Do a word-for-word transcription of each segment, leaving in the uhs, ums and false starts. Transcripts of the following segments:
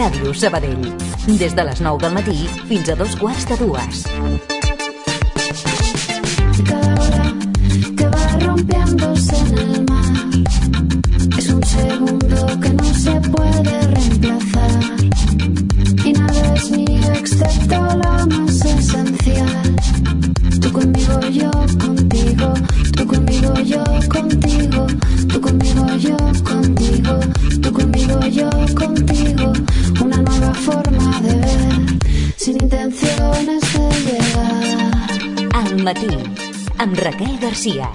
Ràdio Sabadell. Des de les nou del matí fins a dos quarts de dues. Cada hora que va rompiéndose en el mar es un segundo que no se puede reemplazar y nada es mío excepto lo más esencial. Tú conmigo, yo contigo, tú conmigo, yo contigo, tú conmigo, yo contigo, tú conmigo, yo contigo, una nueva forma de ver, sin intenciones de llegar. Al matí, amb Raquel Garcia.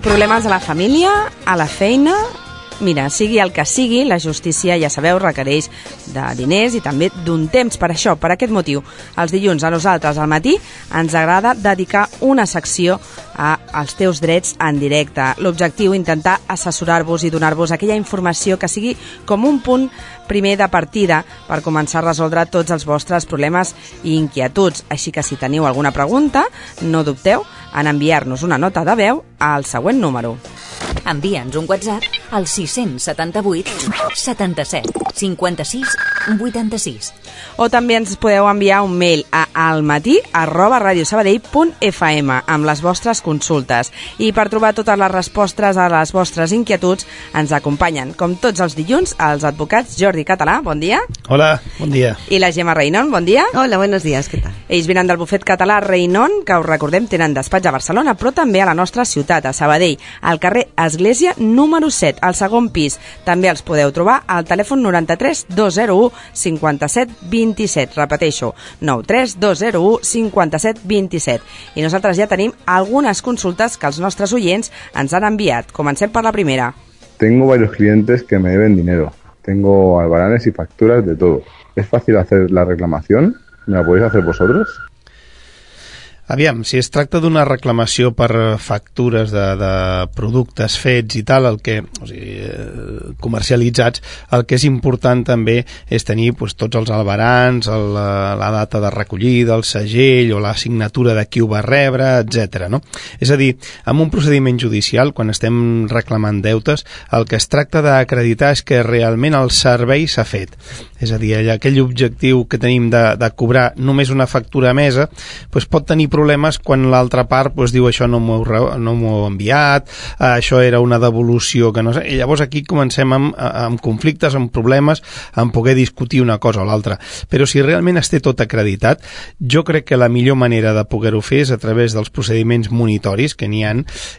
Problemes a la família, a la feina... Mira, sigui el que sigui, la justícia, ja sabeu, requereix de diners i també d'un temps. Per això, per aquest motiu, els dilluns a nosaltres al matí ens agrada dedicar una secció als teus drets en directe. L'objectiu, intentar assessorar-vos i donar-vos aquella informació que sigui com un punt primer de partida per començar a resoldre tots els vostres problemes i inquietuds. Així que si teniu alguna pregunta, no dubteu en enviar-nos una nota de veu al següent número. Envia'ns un WhatsApp al sis setanta vuit setanta-set cinquanta-sis vuitanta-sis. O també ens podeu enviar un mail a almatí arroba radiosabadell punt fm amb les vostres consultes. I per trobar totes les respostes a les vostres inquietuds ens acompanyen, com tots els dilluns, els advocats Jordi Català, bon dia. Hola, bon dia. I la Gemma Reinon, bon dia. Hola, buenos días, què tal? Ells venen del bufet català Reinon, que us recordem tenen despatx a Barcelona, però també a la nostra ciutat, a Sabadell, al carrer Església número set, al segon pis. També els podeu trobar al telèfon noranta-tres dos zero u cinquanta-set vint-i-set. Repeteixo, nou tres dos zero u cinquanta-set vint-i-set. I nosaltres ja tenim algunes consultes que els nostres oients ens han enviat. Comencem per la primera. Tengo varios clientes que me deben dinero. Tengo albaranes y facturas de todo. ¿Es fácil hacer la reclamación? ¿Me la podéis hacer vosotros? Aviam, si es tracta d'una reclamació per factures de, de productes fets i tal, el que, o sigui, comercialitzats, el que és important també és tenir pues, tots els albarans, el, la data de recollida, el segell o la signatura de qui ho va rebre, etcètera. No? És a dir, en un procediment judicial, quan estem reclamant deutes, el que es tracta d'acreditar és que realment el servei s'ha fet. És a dir, aquell objectiu que tenim de, de cobrar només una factura emesa, pues, pot tenir problemes quan l'altra part pues, diu això no m'ho no m'ho he enviat, eh, això era una devolució que no sé, i llavors aquí comencem amb, amb conflictes, amb problemes, amb poder discutir una cosa o l'altra. Però si realment es té tot acreditat, jo crec que la millor manera de poder-ho fer és a través dels procediments monitoris que n'hi ha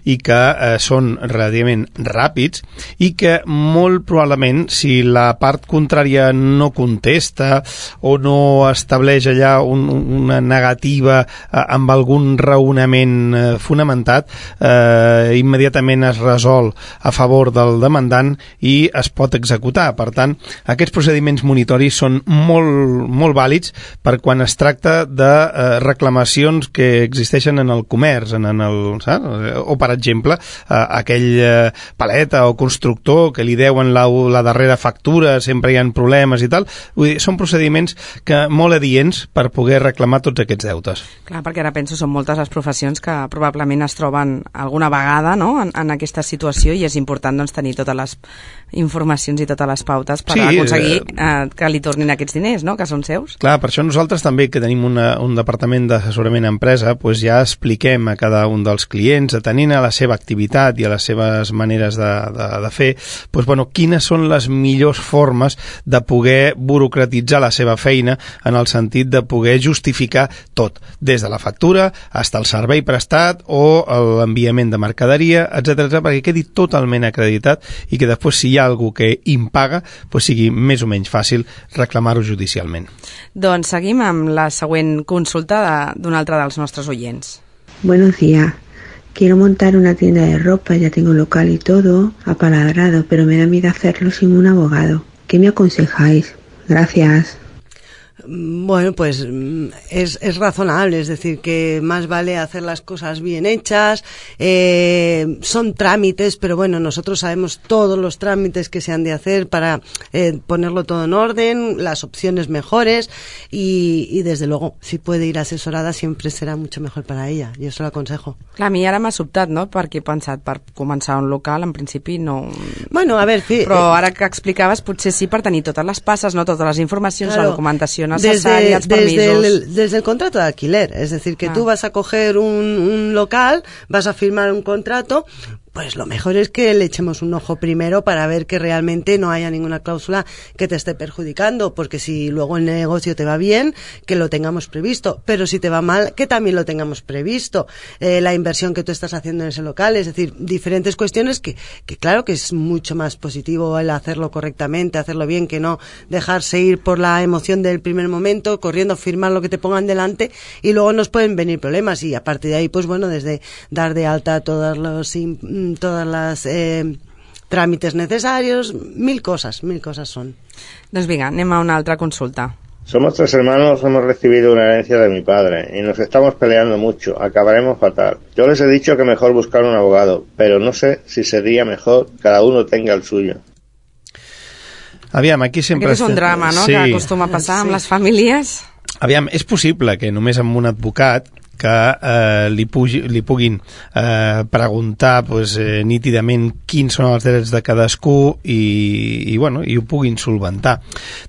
i que eh, són relativament ràpids i que molt probablement si la part contrària no contesta o no estableix allà un, una negativa eh, amb algun raonament eh, fonamentat, eh, immediatament es resol a favor del demandant i es pot executar. Per tant, aquests procediments monitoris són molt, molt vàlids per quan es tracta de eh, reclamacions que existeixen en el comerç, en, en el, saps? O, per exemple, eh, aquell eh, paleta o constructor que li deuen la, la darrera factura, sempre hi ha problemes i tal. Vull dir, són procediments que molt adients per poder reclamar tots aquests deutes. Clar, perquè ara penso són moltes les professions que probablement es troben alguna vegada, no?, en, en aquesta situació i és important doncs, tenir totes les informacions i totes les pautes per sí, aconseguir eh, que li tornin aquests diners, no?, que són seus. Clar, per això nosaltres també que tenim una, un departament d'assessorament a empresa pues ja expliquem a cada un dels clients, atenent a la seva activitat i a les seves maneres de, de, de fer, pues, bueno, quines són les millors formes de poder burocratitzar la seva feina en el sentit de poder justificar tot, des de la factura fins al servei prestat o l'enviament de mercaderia, etcètera, perquè quedi totalment acreditat i que després, si hi hi ha algú que impaga, pues sigui més o menys fàcil reclamar-ho judicialment. Doncs seguim amb la següent consulta d'un altre dels nostres oients. Buenos días. Quiero montar una tienda de ropa, ya tengo local y todo apalabrado, pero me da miedo hacerlo sin un abogado. ¿Qué me aconsejáis? Gracias. Bueno, pues es, es razonable, es decir, que más vale hacer las cosas bien hechas, eh, son trámites, pero bueno, nosotros sabemos todos los trámites que se han de hacer para eh, ponerlo todo en orden, las opciones mejores y, y desde luego, si puede ir asesorada siempre serà mucho mejor para ella, yo se lo aconsejo. Clar, a mi ara m'ha sobtat, no?, perquè he pensat, per començar un local, en principi no... Bueno, a ver... Fi, però ara que explicaves, potser sí per tenir totes les passes, no?, totes les informacions, claro, la documentació Desde, els permisos. Desde el, desde el contrato de alquiler, es decir, que ah. tú vas a coger un, un local, vas a firmar un contrato, pues lo mejor es que le echemos un ojo primero para ver que realmente no haya ninguna cláusula que te esté perjudicando, porque si luego el negocio te va bien, que lo tengamos previsto, pero si te va mal, que también lo tengamos previsto, eh, la inversión que tú estás haciendo en ese local, es decir, diferentes cuestiones que, que claro que es mucho más positivo el hacerlo correctamente, hacerlo bien, que no dejarse ir por la emoción del primer momento, corriendo a firmar lo que te pongan delante y luego nos pueden venir problemas y a partir de ahí, pues bueno, desde dar de alta todos los todas las eh, tràmites necesarios, mil cosas, mil cosas son. Doncs vinga, anem a una altra consulta. Somos tres hermanos, hemos recibido una herencia de mi padre y nos estamos peleando mucho, acabaremos fatal. Yo les he dicho que mejor buscar un abogado, pero no sé si sería mejor que cada uno tenga el suyo. Aviam, aquí sempre... Aquest és un drama, no?, sí, que acostuma a passar sí. amb les famílies. Aviam, és possible que només amb un advocat que eh, li, pugi, li puguin eh, preguntar pues, eh, nítidament quins són els drets de cadascú i, i, bueno, i ho puguin solventar.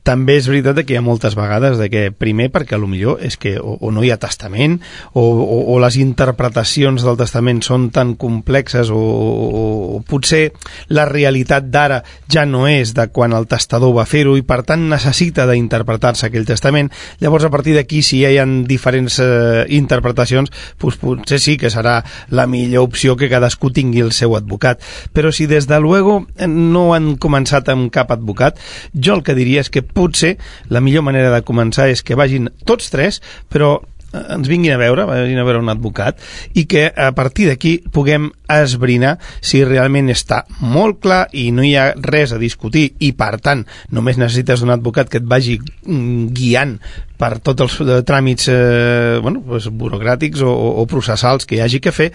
També és veritat que hi ha moltes vegades de que, primer, perquè a lo millor és que o, o no hi ha testament o, o, o les interpretacions del testament són tan complexes o, o, o potser la realitat d'ara ja no és de quan el testador va fer-ho i per tant necessita d'interpretar-se aquell testament. Llavors a partir d'aquí si ja hi ha diferents eh, interpretacions pues potser sí que serà la millor opció que cadascú tingui el seu advocat, però si des de luego no han començat amb cap advocat, jo el que diria és que potser la millor manera de començar és que vagin tots tres, però ens vinguin a veure, vagin a veure un advocat i que a partir d'aquí puguem esbrinar si realment està molt clar i no hi ha res a discutir i per tant només necessites un advocat que et vagi guiant per tots els eh, tràmits eh, bueno, pues, burocràtics o, o processals que hi hagi que fer,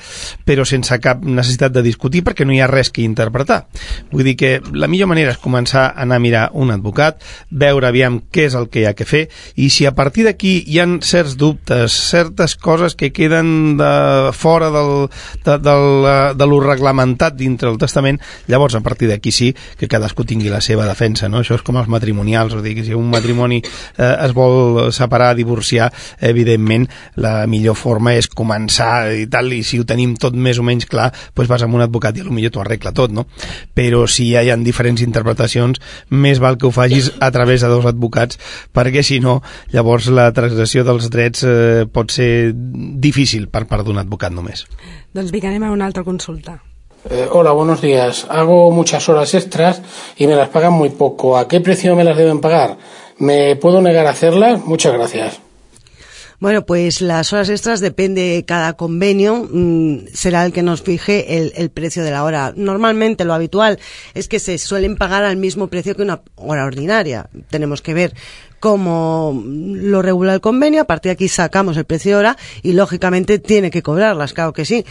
però sense cap necessitat de discutir perquè no hi ha res que interpretar. Vull dir que la millor manera és començar a anar a mirar un advocat, veure aviam què és el que hi ha que fer i si a partir d'aquí hi ha certs dubtes, certes coses que queden de, fora del, de, del, de lo reglamentat dintre del testament, llavors a partir d'aquí sí que cadascú tingui la seva defensa, no? Això és com els matrimonials, o dir, que si un matrimoni eh, es vol separar, divorciar, evidentment la millor forma és començar i tal, i si ho tenim tot més o menys clar, doncs vas amb un advocat i potser t'ho arregla tot, no? Però si ja hi ha diferents interpretacions, més val que ho facis a través de dos advocats, perquè si no, llavors la transgressió dels drets eh, pot ser difícil per part d'un advocat només. Doncs vinga, anem a una altra consulta. Eh, hola, buenos días. Hago muchas horas extras y me las pagan muy poco. ¿A qué precio me las deben pagar? ¿Me puedo negar a hacerlas? Muchas gracias. Bueno, pues las horas extras depende, cada convenio mmm, será el que nos fije el, el precio de la hora. Normalmente lo habitual es que se suelen pagar al mismo precio que una hora ordinaria. Tenemos que ver cómo lo regula el convenio, a partir de aquí sacamos el precio de hora y lógicamente tiene que cobrarlas, claro que sí.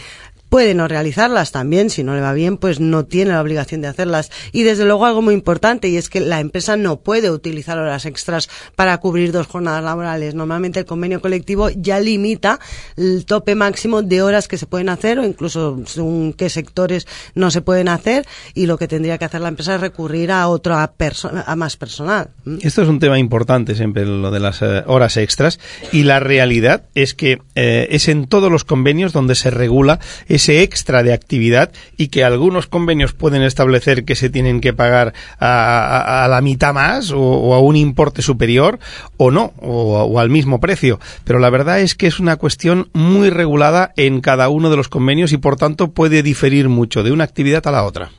Puede no realizarlas también, si no le va bien, pues no tiene la obligación de hacerlas. Y desde luego algo muy importante, y es que la empresa no puede utilizar horas extras para cubrir dos jornadas laborales. Normalmente el convenio colectivo ya limita el tope máximo de horas que se pueden hacer, o incluso según qué sectores no se pueden hacer, y lo que tendría que hacer la empresa es recurrir a otra persona, a más personal. Esto es un tema importante siempre, lo de las eh, horas extras, y la realidad es que eh, es en todos los convenios donde se regula ese extra de actividad y que algunos convenios pueden establecer que se tienen que pagar a, a, a la mitad más o, o a un importe superior o no, o, o al mismo precio. Pero la verdad es que es una cuestión muy regulada en cada uno de los convenios y por tanto puede diferir mucho de una actividad a la otra.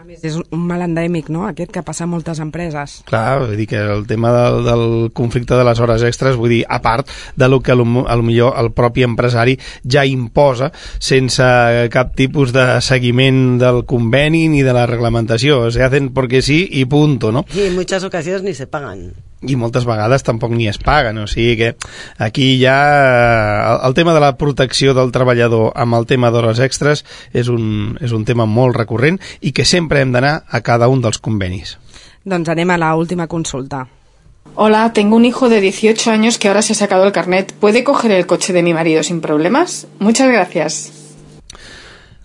A més, És un mal endèmic, no?, aquest que passa a moltes empreses. Clar, vull dir que el tema del, del conflicte de les hores extres, vull dir, a part de lo que a lo, a lo millor el propi empresari ja imposa sense cap tipus de seguiment del conveni ni de la reglamentació. Se hacen porque sí i punto, ¿no? Y en muchas ocasiones ni se pagan. I moltes vegades tampoc ni es paguen, o sigui que aquí ja el, el tema de la protecció del treballador amb el tema d'hores extres és un, és un tema molt recurrent i que sempre hem d'anar a cada un dels convenis. Doncs anem a la última consulta. Hola, tengo un hijo de dieciocho años que ahora se ha sacado el carnet. ¿Puede coger el coche de mi marido sin problemas? Muchas gracias.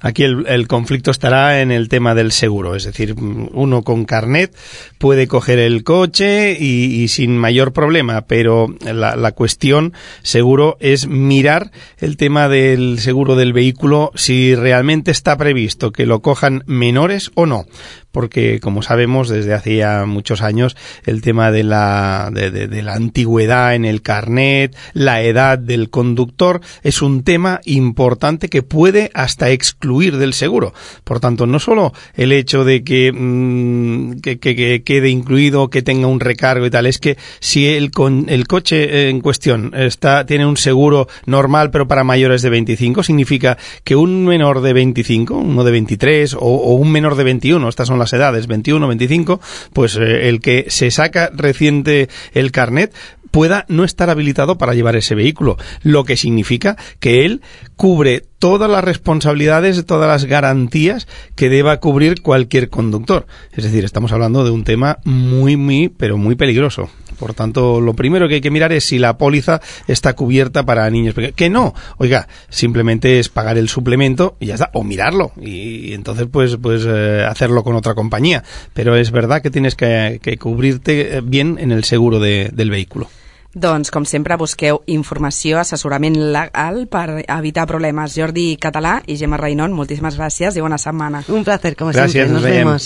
Aquí el, el conflicto estará en el tema del seguro, es decir, uno con carnet puede coger el coche y, y sin mayor problema, pero la, la cuestión seguro es mirar el tema del seguro del vehículo, si realmente está previsto que lo cojan menores o no, porque como sabemos desde hace ya muchos años el tema de la, de, de, de la antigüedad en el carnet, la edad del conductor es un tema importante que puede hasta excluir del seguro. Por tanto, no solo el hecho de que, mmm, que, que, que quede incluido, que tenga un recargo y tal, es que si el, con, el coche en cuestión está, tiene un seguro normal pero para mayores de veinticinco, significa que un menor de veinticinco, uno de veintitrés o, o un menor de veintiuno, estas son las edades, veintiuno, veinticinco, pues eh, el que se saca reciente el carnet pueda no estar habilitado para llevar ese vehículo, lo que significa que él cubre todas las responsabilidades, todas las garantías que deba cubrir cualquier conductor. Es decir, estamos hablando de un tema muy, muy, pero muy peligroso. Por tanto, lo primero que hay que mirar es si la póliza está cubierta para niños pequeños. Que no, oiga, simplemente es pagar el suplemento y ya está, o mirarlo, y, y entonces pues, pues eh, hacerlo con otra compañía. Pero es verdad que tienes que, que cubrirte bien en el seguro de, del vehículo. Doncs, com sempre, busqueu informació, assessorament legal per evitar problemes. Jordi Català i Gemma Reynon, moltíssimes gràcies i bona setmana. Un placer, como Gracias, siempre. Nos, nos vemos.